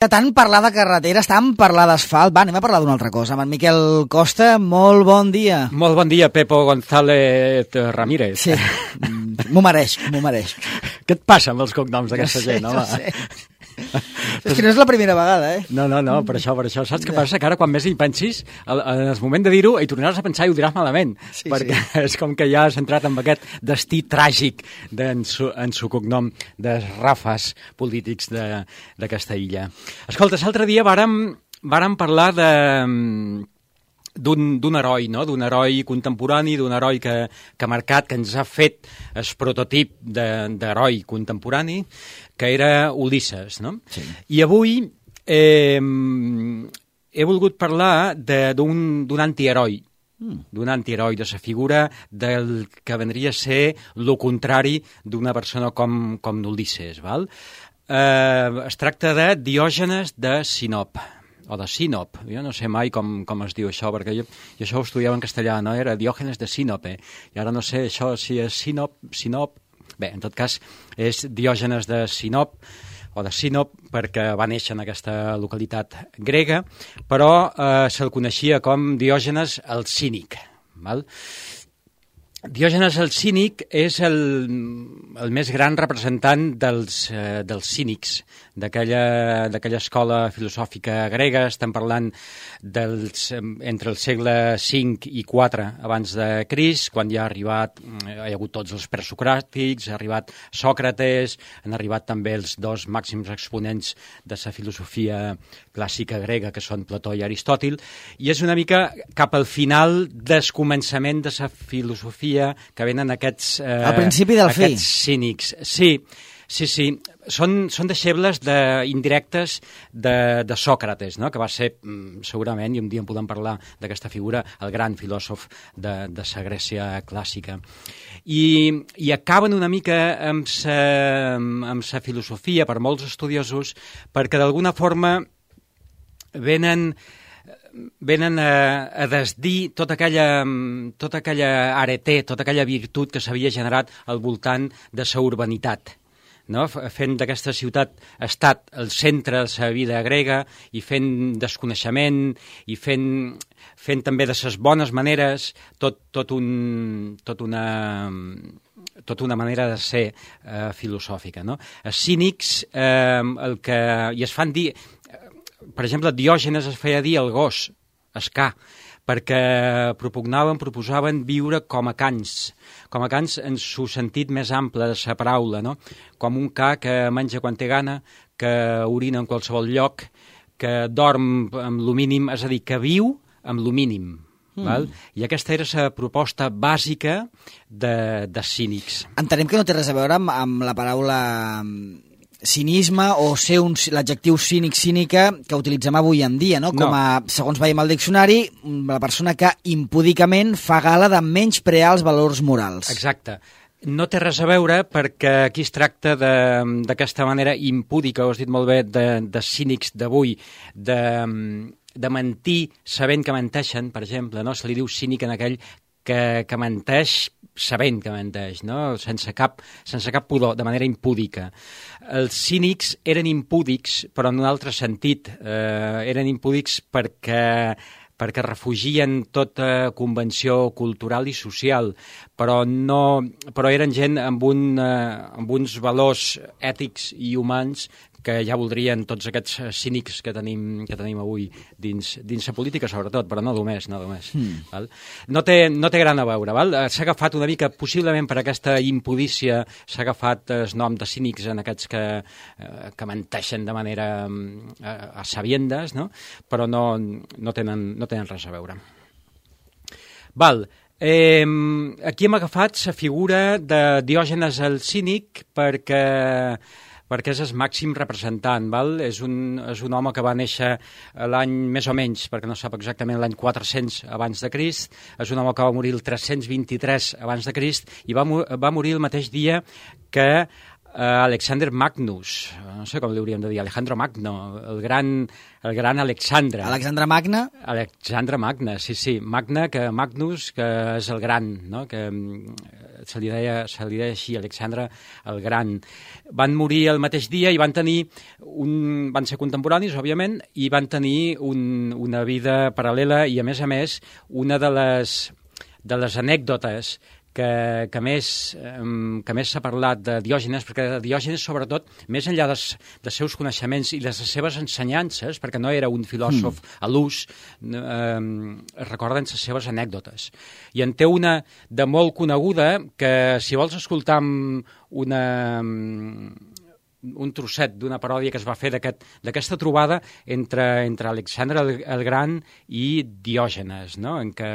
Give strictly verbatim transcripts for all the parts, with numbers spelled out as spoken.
Tant parlar de carreteres, tant parlar d'asfalt, va, anem a parlar d'una altra cosa. Amb en Miquel Costa, molt bon dia. Molt bon dia, Pepo González Ramírez. Sí, m'ho mereix, m'ho mereix. Què et passa amb els cognoms d'aquesta no sé, gent, home? No sé. És que no és la primera vegada, eh? No, no, no, per això, per això. Saps què passa? Que ara, quan més hi pensis, en el moment de dir-ho, hi tornaràs a pensar i ho diràs malament. Sí, perquè sí. És com que ja has entrat en aquest destí tràgic en su, en su cognom de rafes polítics de, d'aquesta illa. Escolta, l'altre dia vàrem, vàrem parlar de... d'un, d'un heroi, no? D'un heroi contemporani, d'un heroi que, que ha marcat, que ens ha fet el prototip de, d'heroi contemporani, que era Ulisses, no? Sí. I avui eh, he volgut parlar de, d'un, d'un antiheroi, mm. d'un antiheroi, de la figura del que vendria a ser el contrari d'una persona com, com Ulisses, val? Eh, es tracta de Diògenes de Sinop, o de Sinop, jo no sé mai com, com es diu això, perquè jo, jo això ho estudiava en castellà, no? Era Diògenes de Sinope, i ara no sé això si és Sinop, Sinop... Bé, en tot cas, és Diògenes de Sinop, o de Sinop, perquè va néixer en aquesta localitat grega, però eh, se'l coneixia com Diògenes el Cínic, val? Diògenes el Cínic és el, el més gran representant dels, eh, dels cínics, d'aquella, d'aquella escola filosòfica grega. Estem parlant dels, entre el segle cinc i quatre abans de Crist, quan ja ha arribat, hi ha hagut tots els presocràtics, ha arribat Sòcrates, han arribat també els dos màxims exponents de la filosofia clàssica grega, que són Plató i Aristòtil, i és una mica cap al final del començament de la filosofia que venen aquests, eh, al principi del aquests fi. cínics. Sí, sí, sí. Són, són deixebles de, indirectes de, de Sòcrates, no? Que va ser, segurament, i un dia en podem parlar d'aquesta figura, el gran filòsof de, de la Grècia clàssica. I, i acaben una mica amb sa, amb sa filosofia, per molts estudiosos, perquè d'alguna forma venen... venen a, a desdir tota aquella, tota aquella areté, tota aquella virtut que s'havia generat al voltant de la urbanitat, no? Fent d'aquesta ciutat-estat el centre de la vida grega i fent desconeixement i fent, fent també de les bones maneres tot, tot, un, tot una... tota una manera de ser eh, filosòfica, no? Els cínics, eh, el que... i es fan dir... Per exemple, Diògenes es feia dir el gos, el ca, perquè propugnaven, proposaven viure com a cans, com a cans en su sentit més ample de la paraula, no? Com un ca que menja quan té gana, que orina en qualsevol lloc, que dorm amb lo mínim, és a dir, que viu amb lo mínim. Mm. Val? I aquesta era la proposta bàsica de, de cínics. Entenem que no té res a veure amb, amb la paraula... cinisme o ser un, l'adjectiu cínic-cínica que utilitzem avui en dia, no? Com a, segons veiem al diccionari, la persona que impúdicament fa gala de menysprear els valors morals. Exacte. No té res a veure perquè aquí es tracta de, d'aquesta manera impúdica, ho has dit molt bé, de, de cínics d'avui, de, de mentir sabent que menteixen, per exemple, no? Se li diu cínic en aquell que, que menteix sabent que menteix, no? sense, cap, sense cap pudor, de manera impúdica. Els cínics eren impúdics, però en un altre sentit. Eh, eren impúdics perquè, perquè refugien tota convenció cultural i social, però, no, però eren gent amb, un, eh, amb uns valors ètics i humans que ja voldrien tots aquests cínics que tenim, que tenim avui dins, dins la política, sobretot, però no només, no només. Mm. Val? No, té, no té gran a veure, val? S'ha agafat una mica, possiblement per aquesta impudícia, s'ha agafat el nom de cínics en aquests que, eh, que menteixen de manera eh, a sabiendes, no? Però no, no, tenen, no tenen res a veure. Val. Eh, aquí hem agafat la figura de Diògenes el Cínic perquè... perquè és el màxim representant, val? És un, és un home que va néixer l'any més o menys, perquè no sap exactament l'any quatre-cents abans de Crist, és un home que va morir el tres-cents vint-i-tres abans de Crist i va, va morir el mateix dia que Uh, Alexander Magnus, no sé com li hauríem de dir, Alejandro Magno, el gran, el gran Alexandre. Alexandre Magne? Alexandre Magne, sí, sí. Magne, que Magnus, que és el gran, no? Que se li deia, se li deia així, Alexandre el Gran. Van morir el mateix dia i van tenir un... van ser contemporanis, òbviament, i van tenir un, una vida paral·lela i, a més a més, una de les, de les anècdotes que, que més, que més s'ha parlat de Diògenes, perquè de Diògenes, sobretot, més enllà dels, dels seus coneixements i de les seves ensenyances, perquè no era un filòsof mm. a l'ús, eh, recorden les seves anècdotes. I en té una de molt coneguda que, si vols escoltar una... un trosset d'una paròdia que es va fer d'aquesta trobada entre, entre Alexandre el, el Gran i Diògenes, no? En què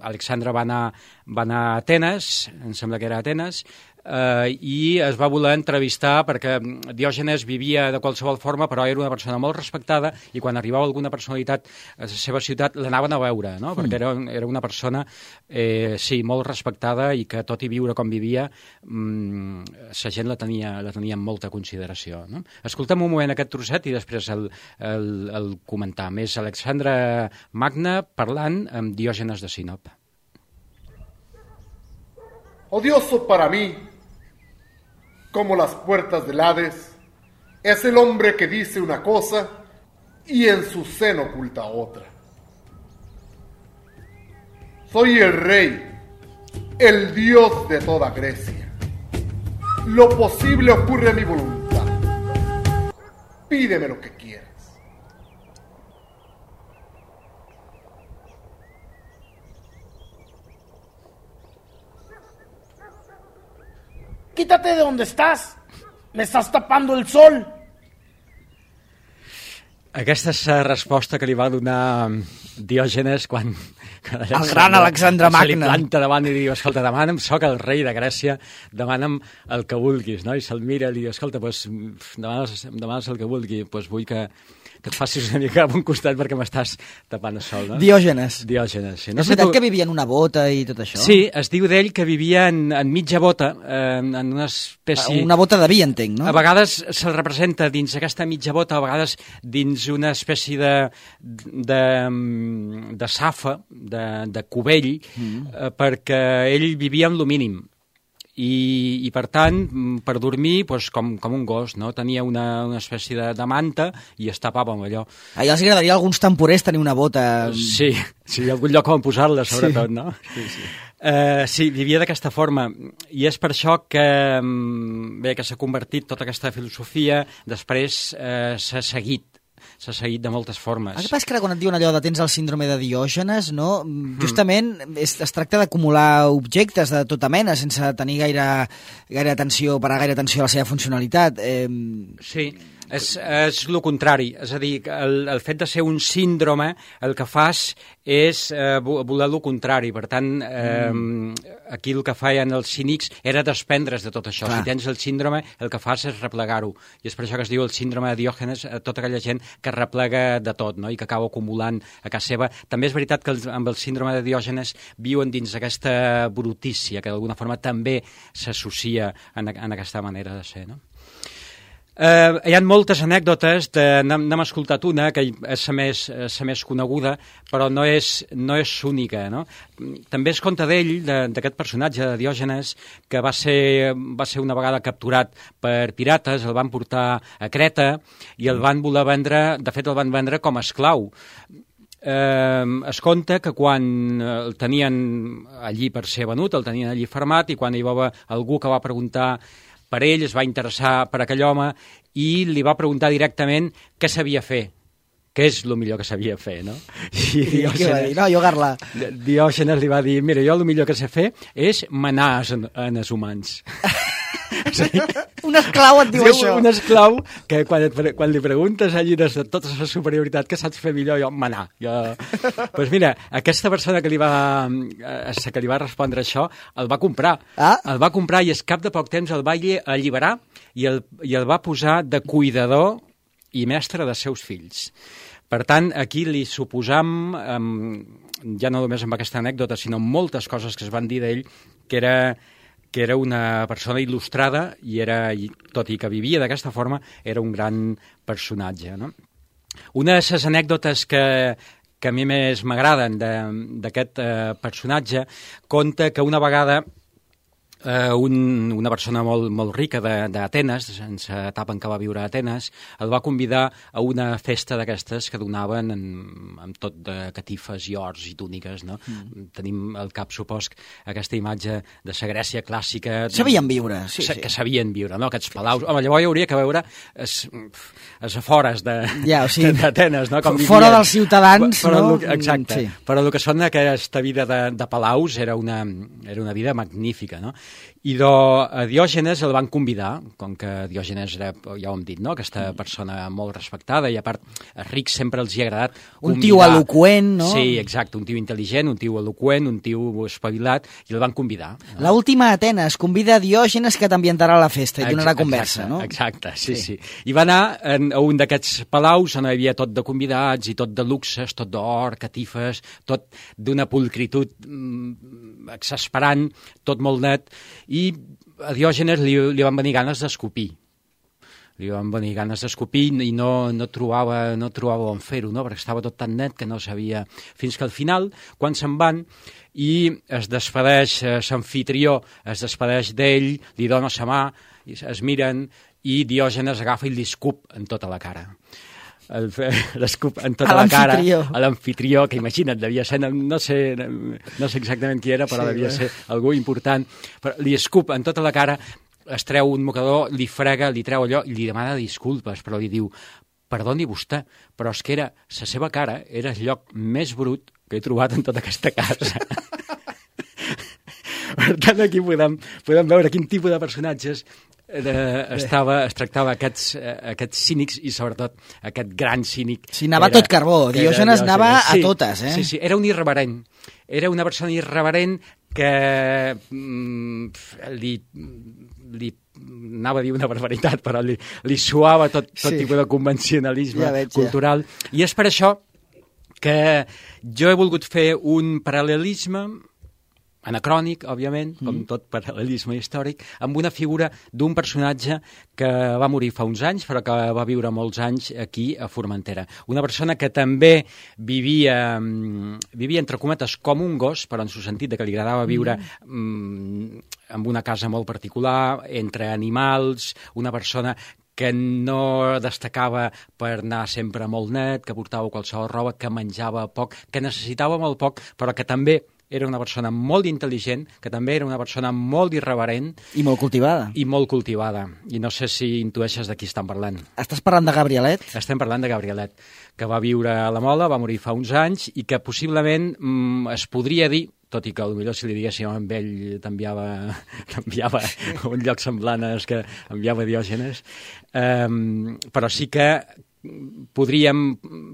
Alexandre va anar, va anar a Atenes, em sembla que era a Atenes, eh, i es va voler entrevistar perquè Diògenes vivia de qualsevol forma, però era una persona molt respectada i quan arribava alguna personalitat a la seva ciutat l'anaven a veure, no? Perquè era, era una persona eh, sí, molt respectada i que tot i viure com vivia mmm, la gent la tenia, la tenia amb molta consideració, no? Escoltem un moment aquest trosset i després el, el, el comentar. Més Alexandre Magne parlant amb Diògenes de Sinop. Odioso para mí, como las puertas del Hades, es el hombre que dice una cosa y en su seno oculta otra. Soy el rey, el dios de toda Grecia. Lo posible ocurre a mi voluntad. Pídeme lo que quieras. Quítate de donde estás. Me estás tapando el sol. Aquesta és la resposta que li va donar Diògenes quan... El gran Alexandre Magne. Se li planta davant i diu, escolta, demana'm, soc el rei de Grècia, demana'm el que vulguis, no? I se'l mira i diu, escolta, doncs, demanes, demanes el que vulgui, doncs vull que, que et facis una mica a un costat perquè m'estàs tapant el sol, no? Diògenes. Diògenes, sí. No és veritat tu... que vivia en una bota i tot això? Sí, es diu d'ell que vivia en, en mitja bota, eh, en una espècie... Una bota de vi, entenc, no? A vegades se'l representa dins aquesta mitja bota, a vegades dins una espècie de, de, de safa, de, de cubell, mm. eh, perquè ell vivia amb lo mínim. I, i per tant, per dormir, doncs, com, com un gos, no? Tenia una, una espècie de, de manta i es tapava amb allò. A els agradaria a alguns temporers tenir una bota... Sí, sí, algun lloc on posar-la, sobretot, sí. No? Sí, sí. Uh, sí, vivia d'aquesta forma i és per això que, bé, que s'ha convertit tota aquesta filosofia, després uh, s'ha seguit s'ha seguit de moltes formes. El que passa és que quan et diuen allò de tens el síndrome de Diògenes, no? Justament es, es tracta d'acumular objectes de tota mena sense tenir gaire, gaire atenció, parar gaire atenció a la seva funcionalitat. Eh... Sí, és, és el contrari. És a dir, el, el fet de ser un síndrome el que fas és eh, voler el contrari. Per tant, eh, mm. aquí el que feien els cínics era desprendre's de tot això. Clar. Si tens el síndrome, el que fas és replegar-ho. I és per això que es diu el síndrome de Diògenes a tota aquella gent que replega de tot, no? I que acaba acumulant a casa seva. També és veritat que el, amb el síndrome de Diògenes viuen dins aquesta brutícia, que d'alguna forma també s'associa en, en aquesta manera de ser, no? Uh, hi ha moltes anècdotes, n'hem escoltat una, que és la més, la més coneguda, però no és, no és única, no? També es conta d'ell, d'aquest personatge de Diògenes, que va ser, va ser una vegada capturat per pirates, el van portar a Creta i el van voler vendre, de fet el van vendre com a esclau. Eh, es conta que quan el tenien allí per ser venut, el tenien allí fermat, i quan hi va algú que va preguntar per ell, es va interessar per aquell home i li va preguntar directament què sabia fer, què és el millor que sabia fer, no? I Diògenes, va dir? No, jugar-la. Diògenes li va dir, mira, jo el millor que sé fer és manar en, en els humans. Un esclau et diu sí, això. Un esclau que quan, et, quan li preguntes allí de tota la superioritat que saps fer millor, jo manar. Jo... pues mira, aquesta persona que li, va, que li va respondre això el va comprar. Ah? El va comprar i al cap de poc temps el va alliberar i el, i el va posar de cuidador i mestre dels seus fills. Per tant, aquí li suposam, um, ja no només amb aquesta anècdota, sinó amb moltes coses que es van dir d'ell, que era que era una persona il·lustrada i era, tot i que vivia d'aquesta forma, era un gran personatge, no? Una de les anècdotes que, que a mi més m'agraden d'aquest eh, personatge conta que una vegada Uh, un, una persona molt, molt rica d'Atenes, en l'etapa en què va viure a Atenes, el va convidar a una festa d'aquestes que donaven en, amb tot de catifes i ors i túniques, no? Mm. Tenim al cap, supos, aquesta imatge de la Grècia clàssica... Sabien viure, sí, sí. Que sabien viure, no? Aquests palaus... Home, llavors hi hauria que veure els afores d'Atenes, ja, o sigui, no? Com fora vivien, dels ciutadans, però, no? El, exacte. Sí. Però el que són aquesta vida de, de palaus era una, era una vida magnífica, no? I do, a Diògenes el van convidar, com que Diògenes era, ja ho hem dit, no? Aquesta persona molt respectada i a part a rics sempre els hi ha agradat un convidar. Tio eloqüent, no? Sí, exacte, un tio intel·ligent, un tio eloqüent, un tio espavilat, i el van convidar. No? L'última Atenes convida Diògenes que t'ambientarà a la festa i donarà conversa, exacte, no? Exacte, sí, sí, sí. I va anar en, a un d'aquests palaus on hi havia tot de convidats i tot de luxes, tot d'or, catifes, tot d'una pulcritud mm, exasperant, tot molt net, i a Diògenes li, li van venir ganes d'escopir. Li van venir ganes d'escopir i no, no, trobava, no trobava on fer-ho, no? Perquè estava tot tan net que no sabia... Fins que al final, quan se'n van i es despedeix l'amfitrió, es despedeix d'ell, li dona sa mà, es miren i Diògenes agafa i li escup en tota la cara. L'escup en tota la cara a l'amfitrió, que imagina't, devia ser, no sé, no sé exactament qui era, però sí, devia ser algú important, però li escup en tota la cara, es treu un mocador, li frega, li treu allò i li demana disculpes, però li diu, perdoni vostè, però és que era, la seva cara era el lloc més brut que he trobat en tota aquesta casa. Per tant, aquí podem, podem veure quin tipus de personatges Eh, estava, es tractava aquests, eh, aquests cínics i sobretot aquest gran cínic. Sí, anava era, tot carbó, Diògenes anava a sí, totes, eh? Sí, sí, era un irreverent, era una persona irreverent que mm, li, li anava a dir una barbaritat, però li, li suava tot, tot sí. tipus de convencionalisme ja veig, cultural, ja. I és per això que jo he volgut fer un paral·lelisme anacrònic, òbviament, com mm. tot paral·lelisme històric, amb una figura d'un personatge que va morir fa uns anys, però que va viure molts anys aquí a Formentera. Una persona que també vivia, vivia entre cometes, com un gos, però en el sentit de que li agradava viure mm. en una casa molt particular, entre animals, una persona que no destacava per anar sempre molt net, que portava qualsevol roba, que menjava poc, que necessitava molt poc, però que també era una persona molt intel·ligent, que també era una persona molt irreverent. I molt cultivada. I molt cultivada. I no sé si intueixes de qui estan parlant. Estàs parlant de Gabrielet? Estem parlant de Gabrielet, que va viure a la Mola, va morir fa uns anys, i que possiblement mm, es podria dir, tot i que potser si li diguéssim amb ell t'enviava a un lloc semblant als que enviava Diògenes, um, però sí que podríem,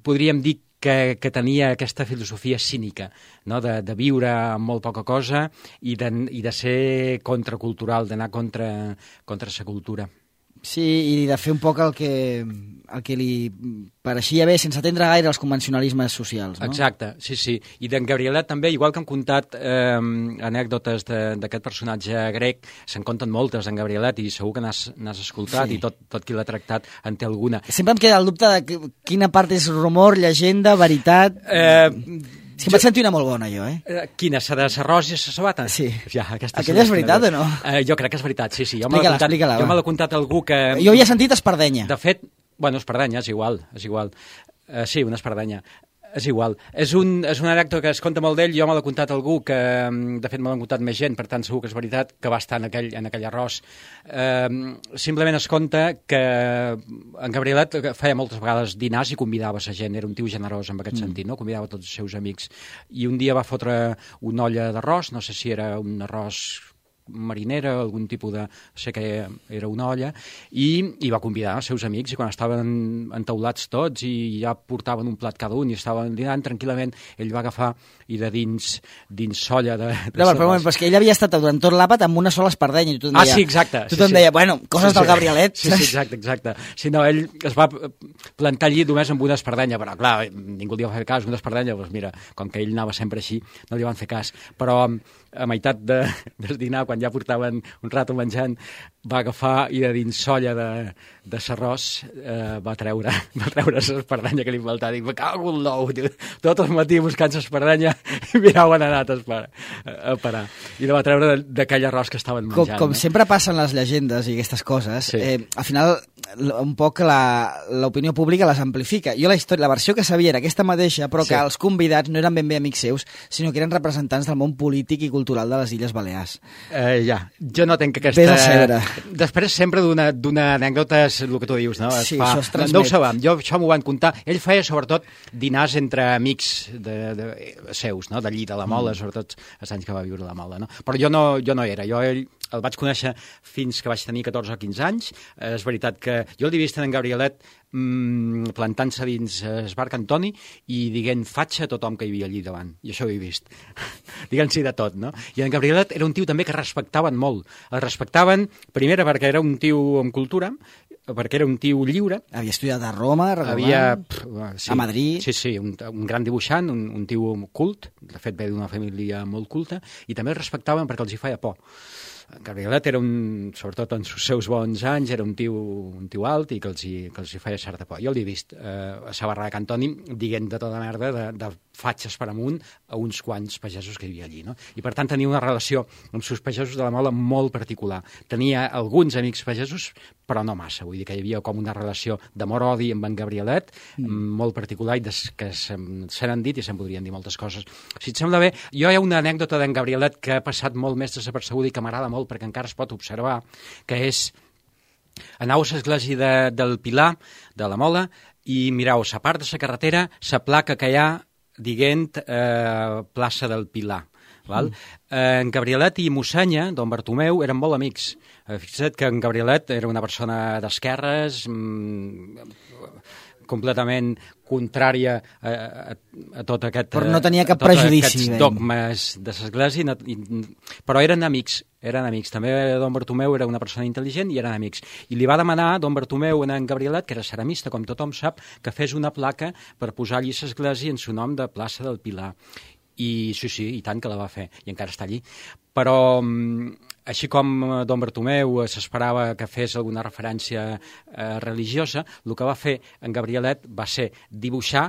podríem dir que, que tenia aquesta filosofia cínica, no? de, de viure amb molt poca cosa i de, i de ser contracultural, d'anar contra, contra la cultura. Sí, i de fer un poc el que, el que li pareixia bé, sense atendre gaire els convencionalismes socials, no? Exacte, sí, sí. I d'en Gabrielet també, igual que hem contat eh, anècdotes d'aquest personatge grec, se'n conten moltes d'en Gabrielet i segur que n'has escoltat sí. I tot, tot qui l'ha tractat en té alguna. Sempre em queda el dubte de quina part és rumor, llegenda, veritat... Eh... És que jo... vaig sentir una molt bona, jo, eh? Quina? La de l'arròs i la sabata? Sí. Ja, aquella és veritat o no? Uh, jo crec que és veritat, sí, sí. Jo explica-la, explica-la. Jo me l'ha contat algú que... Jo havia sentit espardenya. De fet, bueno, espardenya, és igual, és igual. Uh, sí, una espardenya. És igual. És un, és una anècdota que es conta molt d'ell, jo me l'ha contat algú que, de fet, me l'han contat més gent, per tant, segur que és veritat, que va estar en aquell, en aquell arròs. Eh, simplement es conta que en Gabrielet feia moltes vegades dinars i convidava la gent, era un tio generós en aquest mm. sentit, no? Convidava tots els seus amics. I un dia va fotre una olla d'arròs, no sé si era un arròs marinera, algun tipus de... sé que era una olla, i, i va convidar els seus amics, i quan estaven entaulats tots i ja portaven un plat cada un i estaven dinant tranquil·lament, ell va agafar i de dins, dins solla de... de no, però, però és que ell havia estat durant tot l'àpat amb una sola espardenya i tothom deia... Ah, sí, exacte. Tothom sí, deia, sí. bueno, coses sí, sí. del Gabrielet. Sí, sí, exacte, exacte. Si no, ell es va plantar allí només amb una espardenya, però clar, ningú li va fer cas, una espardenya, doncs mira, com que ell anava sempre així, no li van fer cas. Però a meitat de, del dinar, quan quan ja portaven un rato menjant, va agafar i de dins solla de, de s'arròs eh, va treure va treure l'espardenya que li faltava. Dic, me cago en l'ou, tot el matí buscant l'espardenya i mirau on ha anat a, a parar. I la va treure d'aquell arròs que estaven menjant. Com, com no? sempre passen les llegendes i aquestes coses, sí. eh, al final un poc l'opinió pública les amplifica. Jo la història, la versió que sabia era aquesta mateixa, però sí. que els convidats no eren ben bé amics seus, sinó que eren representants del món polític i cultural de les Illes Balears. Eh, ja, jo no tenc aquesta... Ves a seure. Després sempre d'una anècdota és el que tu dius, no? Es sí, fa... això es transmet. No ho sabem, jo això m'ho van contar. Ell feia sobretot dinars entre amics de, de, seus, no? D'allí, de la Mola, mm. sobretot els anys que va viure a la Mola, no? Però jo no, jo no era, jo ell el vaig conèixer fins que vaig tenir catorze o quinze anys. És veritat que jo l'he vist en Gabrielet mmm, plantant-se dins el bar Cantoni i dient fatxa a tothom que hi havia allí davant. I això ho he vist. Diguem-s'hi de tot, no? I en Gabrielet era un tio també que respectaven molt. El respectaven, primera, perquè era un tio amb cultura, perquè era un tio lliure. Havia estudiat a Roma, havia, pff, sí, a Madrid. Sí, sí, un, un gran dibuixant, un, un tio cult, de fet ve d'una família molt culta, i també el respectaven perquè els hi feia por. Gabrielet era un, sobretot en els seus bons anys, era un tio, un tio alt i que els, hi, que els hi feia certa por. Jo l'he vist eh, a la barra de Cantoni dient de tota merda de, de fatxes per amunt a uns quants pagesos que hi havia allí, no? I per tant tenia una relació amb els pagesos de la Mola molt particular. Tenia alguns amics pagesos, però no massa. Vull dir que hi havia com una relació d'amor-odi amb en Gabrielet, mm. molt particular, i des, que se n'han dit i se'n podrien dir moltes coses. Si et sembla bé, jo hi ha una anècdota d'en Gabrielet que ha passat molt més desapercebuda i que m'agrada molt perquè encara es pot observar, que és anau a l'església de, del Pilar, de la Mola, i mirau, a part de la carretera, la placa que hi ha dient eh, plaça del Pilar. Val? Mm. Eh, en Gabrielet i Mossenya, don Bartomeu, eren molt amics. Eh, fixa't que en Gabrielet era una persona d'esquerres, mm, completament contrària a, a, a tot aquest... Però no tenia cap prejudici. Dogmes de l'església, però eren amics, eren amics. També don Bartomeu era una persona intel·ligent i eren amics. I li va demanar don Bartomeu a en Gabrielet, que era ceramista, com tothom sap, que fes una placa per posar allí l'església en su nom de plaça del Pilar. I sí, sí, i tant que la va fer, i encara està allí. Però, així com don Bartomeu s'esperava que fes alguna referència eh, religiosa, el que va fer en Gabrielet va ser dibuixar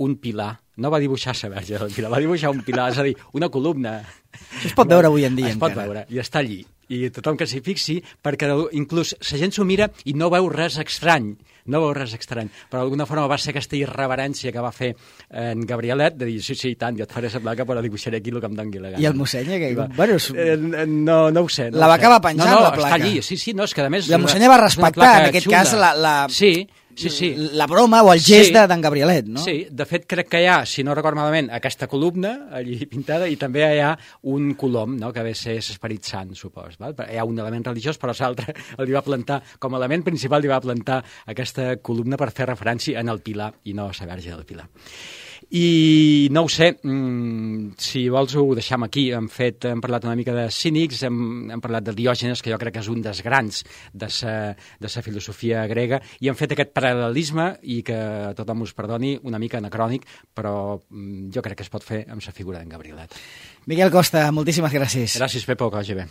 un pilar. No va dibuixar la Verge del Pilar, va dibuixar un pilar, és a dir, una columna. Això es pot veure avui en dia. Es pot veure, i està allí. I tothom que s'hi fixi, perquè inclús la gent s'ho mira i no veu res estrany, no veu res estrany, però d'alguna forma va ser aquesta irreverència que va fer en Gabrielet, de dir, sí, sí, i tant, jo et faré la placa, però dibuixaré aquí el que em doni la gana. I el Mossenya? Que... Bueno, és... eh, no, no ho sé. No la va sé. acabar penjant, no, no, la placa. Està allí, sí, sí, no, és que a més... I el Mossenya va respectar, en aquest xula. cas, la... la... Sí, Sí, sí. La broma o el gest sí. d'en Gabrielet, no? Sí, de fet crec que hi ha, si no record malament, aquesta columna allí pintada i també hi ha un colom, no?, que ve a ser l'Esperit Sant, supos. Val? Hi ha un element religiós, però l'altre li va plantar, com a element principal, li va plantar aquesta columna per fer referència en el Pilar i no a la Verge del Pilar. I no ho sé, mmm, si vols ho deixam aquí. Hem, fet, hem parlat una mica de cínics, hem, hem parlat de Diògenes, que jo crec que és un dels grans de sa, de sa filosofia grega, i hem fet aquest paral·lelisme, i que tothom us perdoni, una mica anacrònic, però mm, jo crec que es pot fer amb la figura d'en Gabrielet. Miquel Costa, moltíssimes gràcies. Gràcies, Pepo, que vagi bé.